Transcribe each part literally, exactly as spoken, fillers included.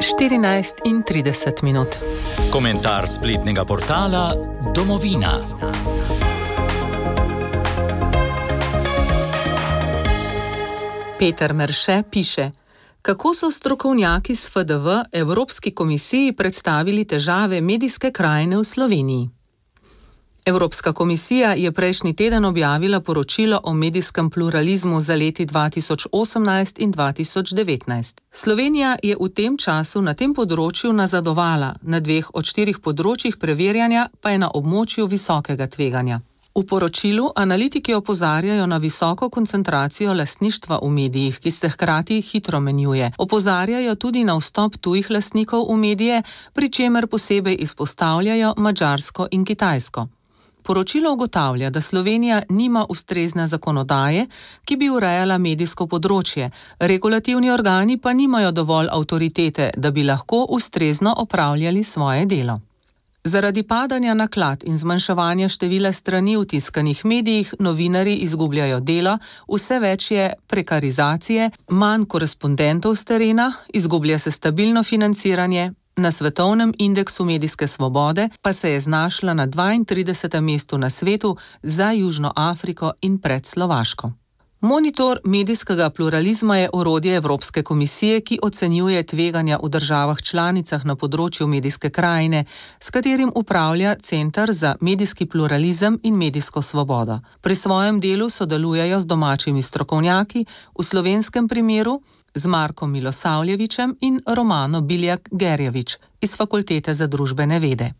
štirinajst in trideset minut. Komentar spletnega portala Domovina. Peter Merše piše: kako so strokovnjaki s F D V Evropski komisiji predstavili težave medijske krajine v Sloveniji? Evropska komisija je prejšnji teden objavila poročilo o medijskem pluralizmu za leti dva tisoč osemnajst in dva tisoč devetnajst. Slovenija je v tem času na tem področju nazadovala, na dveh od štirih področjih preverjanja pa je na območju visokega tveganja. V poročilu analitiki opozarjajo na visoko koncentracijo lastništva v medijih, ki se hkrati hitro menjuje. Opozarjajo tudi na vstop tujih lastnikov v medije, pri čemer posebej izpostavljajo Madžarsko in Kitajsko. Poročilo ugotavlja, da Slovenija nima ustrezne zakonodaje, ki bi urejala medijsko področje, regulativni organi pa nimajo dovolj avtoritete, da bi lahko ustrezno opravljali svoje delo. Zaradi padanja naklad in zmanjševanja števila strani v tiskanih medijih novinarji izgubljajo delo, vse več je prekarizacije, manj korespondentov s terena, izgublja se stabilno financiranje. Na svetovnem indeksu medijske svobode pa se je znašla na dvaintridesetem mestu na svetu za Južno Afriko in pred Slovaško. Monitor medijskega pluralizma je orodje Evropske komisije, ki ocenjuje tveganja v državah članicah na področju medijske krajine, s katerim upravlja Center za medijski pluralizem in medijsko svobodo. Pri svojem delu sodelujejo z domačimi strokovnjaki, v slovenskem primeru z Markom Milosavljevićem in Romano Biljak-Gerjevič iz Fakultete za družbene vede.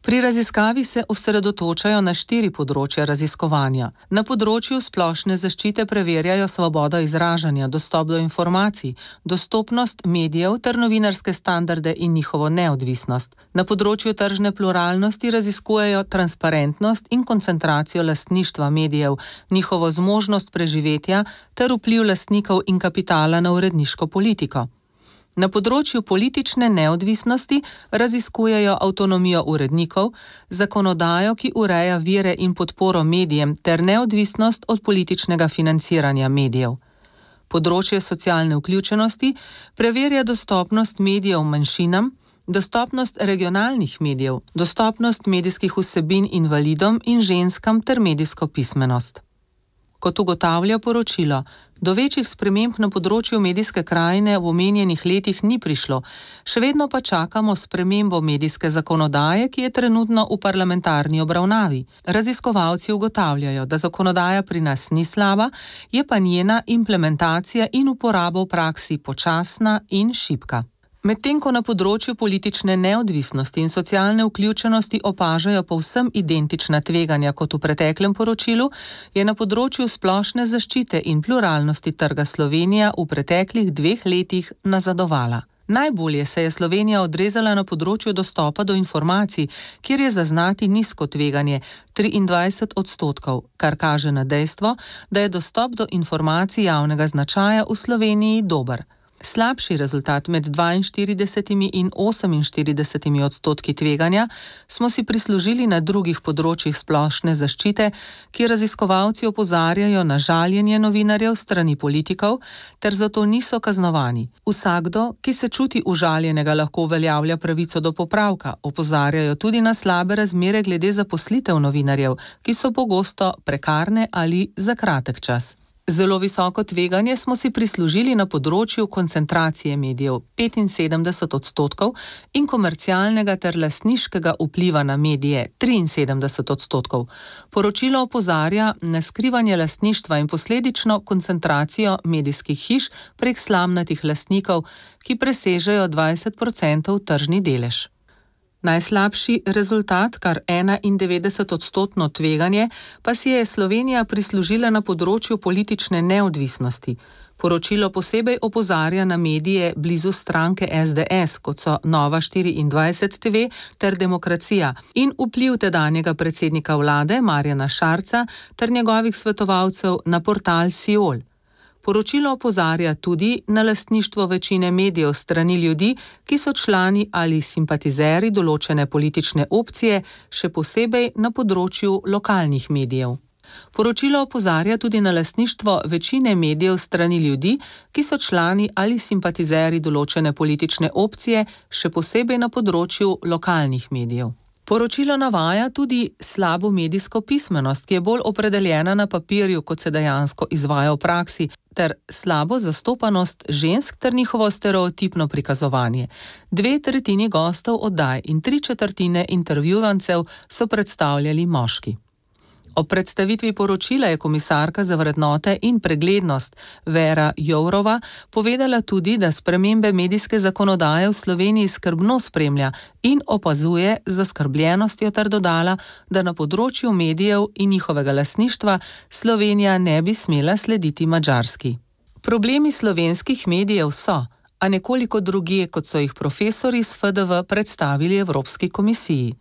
Pri raziskavi se osredotočajo na štiri področja raziskovanja. Na področju splošne zaščite preverjajo svobodo izražanja, dostop do informacij, dostopnost medijev ter novinarske standarde in njihovo neodvisnost. Na področju tržne pluralnosti raziskujejo transparentnost in koncentracijo lastništva medijev, njihovo zmožnost preživetja ter vpliv lastnikov in kapitala na uredniško politiko. Na področju politične neodvisnosti raziskujejo avtonomijo urednikov, zakonodajo, ki ureja vire in podporo medijem ter neodvisnost od političnega financiranja medijev. Področje socialne vključenosti preverja dostopnost medijev manjšinam, dostopnost regionalnih medijev, dostopnost medijskih vsebin invalidom in ženskam ter medijsko pismenost. Kot ugotavlja poročilo, do večjih sprememb na področju medijske krajine v omenjenih letih ni prišlo, še vedno pa čakamo spremembo medijske zakonodaje, ki je trenutno v parlamentarni obravnavi. Raziskovalci ugotavljajo, da zakonodaja pri nas ni slaba, je pa njena implementacija in uporaba v praksi počasna in šibka. Medtem ko na področju politične neodvisnosti in socialne vključenosti opažajo povsem identična tveganja kot v preteklem poročilu, je na področju splošne zaščite in pluralnosti trga Slovenija v preteklih dveh letih nazadovala. Najbolje se je Slovenija odrezala na področju dostopa do informacij, kjer je zaznati nizko tveganje, triindvajset odstotkov, kar kaže na dejstvo, da je dostop do informacij javnega značaja v Sloveniji dober. Slabši rezultat med dvainštiridesetimi in oseminštiridesetimi odstotki tveganja smo si prislužili na drugih področjih splošne zaščite, kjer raziskovalci opozarjajo na žaljenje novinarjev strani politikov, ter zato niso kaznovani. Vsakdo, ki se čuti užaljenega, lahko uveljavlja pravico do popravka, opozarjajo tudi na slabe razmere glede zaposlitev novinarjev, ki so pogosto prekarne ali za kratek čas. Zelo visoko tveganje smo si prislužili na področju koncentracije medijev petinsedemdeset odstotkov in komercialnega ter lastniškega vpliva na medije triinsedemdeset odstotkov. Poročilo opozarja na skrivanje lastništva in posledično koncentracijo medijskih hiš prek slamnatih lastnikov, ki presežejo dvajset procentov tržni delež. Najslabši rezultat, kar enaindevetdeset odstotno tveganje, pa si je Slovenija prislužila na področju politične neodvisnosti. Poročilo posebej opozarja na medije blizu stranke S D S, kot so Nova štiriindvajset T V ter Demokracija, in vpliv tedanjega predsednika vlade Marjana Šarca ter njegovih svetovalcev na portal Siol. Poročilo opozarja tudi na lastništvo večine medijev strani ljudi, ki so člani ali simpatizeri določene politične opcije, še posebej na področju lokalnih medijev. Poročilo opozarja tudi na lastništvo večine medijev strani ljudi, ki so člani ali simpatizerji določene politične opcije, še posebej na področju lokalnih medijev. Poročilo navaja tudi slabo medijsko pismenost, ki je bolj opredeljena na papirju, kot se dejansko izvaja v praksi, ter slabo zastopanost žensk ter njihovo stereotipno prikazovanje. Dve tretjini gostov oddaj in tri četrtine intervjuvancev so predstavljali moški. Ob predstavitvi poročila je komisarka za vrednote in preglednost Vera Jourova povedala tudi, da spremembe medijske zakonodaje v Sloveniji skrbno spremlja in opazuje z zaskrbljenostjo ter dodala, da na področju medijev in njihovega lastništva Slovenija ne bi smela slediti Madžarski. Problemi slovenskih medijev so, a nekoliko drugje, kot so jih profesorji s F D V predstavili Evropski komisiji.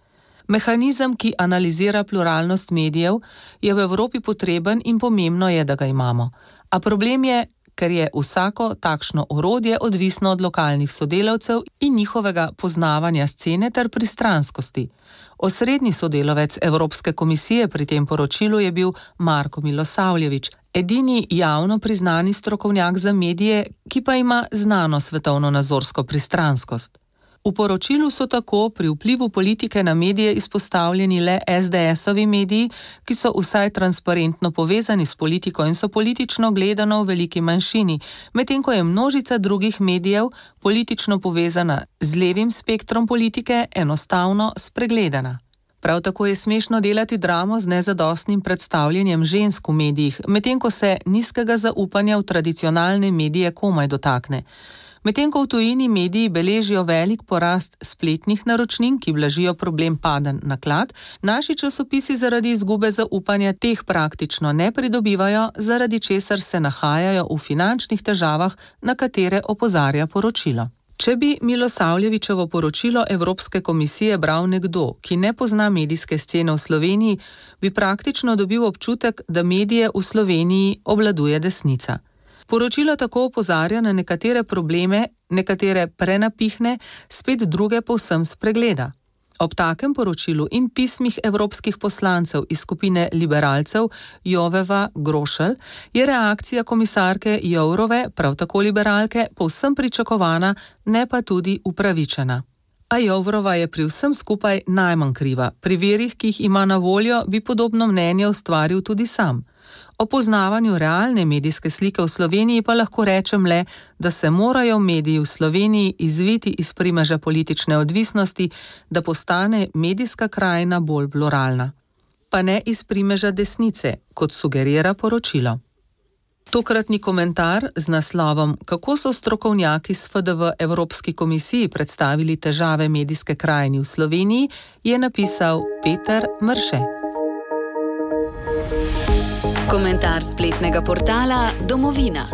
Mehanizem, ki analizira pluralnost medijev, je v Evropi potreben in pomembno je, da ga imamo. A problem je, ker je vsako takšno orodje odvisno od lokalnih sodelavcev in njihovega poznavanja scene ter pristranskosti. Osrednji sodelavec Evropske komisije pri tem poročilu je bil Marko Milosavljević, edini javno priznani strokovnjak za medije, ki pa ima znano svetovno-nazorsko pristranskost. V poročilu so tako pri vplivu politike na medije izpostavljeni le S D S-ovi mediji, ki so vsaj transparentno povezani s politiko in so politično gledano v veliki manjšini, medtem ko je množica drugih medijev politično povezana z levim spektrom politike enostavno spregledana. Prav tako je smešno delati dramo z nezadostnim predstavljanjem žensk v medijih, medtem ko se nizkega zaupanja v tradicionalne medije komaj dotakne. Medtem ko v tujini mediji beležijo velik porast spletnih naročnin, ki blažijo problem paden naklad, naši časopisi zaradi izgube zaupanja teh praktično ne pridobivajo, zaradi česar se nahajajo v finančnih težavah, na katere opozarja poročilo. Če bi Milosavljevićevo poročilo Evropske komisije bral nekdo, ki ne pozna medijske scene v Sloveniji, bi praktično dobil občutek, da medije v Sloveniji obvladuje desnica. Poročilo tako opozarja na nekatere probleme, nekatere prenapihne, spet druge povsem spregleda. Ob takem poročilu in pismih evropskih poslancev iz skupine liberalcev Joveva Grošelj je reakcija komisarke Jourove, prav tako liberalke, povsem pričakovana, ne pa tudi upravičena. A Jourova je pri vsem skupaj najmanj kriva. Pri virih, ki jih ima na voljo, bi podobno mnenje ustvaril tudi sam. O poznavanju realne medijske slike v Sloveniji pa lahko rečem le, da se morajo mediji v Sloveniji izviti iz primeža politične odvisnosti, da postane medijska krajina bolj pluralna. Pa ne iz primeža desnice, kot sugerira poročilo. Tokratni komentar z naslovom Kako so strokovnjaki s F D V Evropski komisiji predstavili težave medijske krajine v Sloveniji, je napisal Peter Mrše. Komentar spletnega portala Domovina.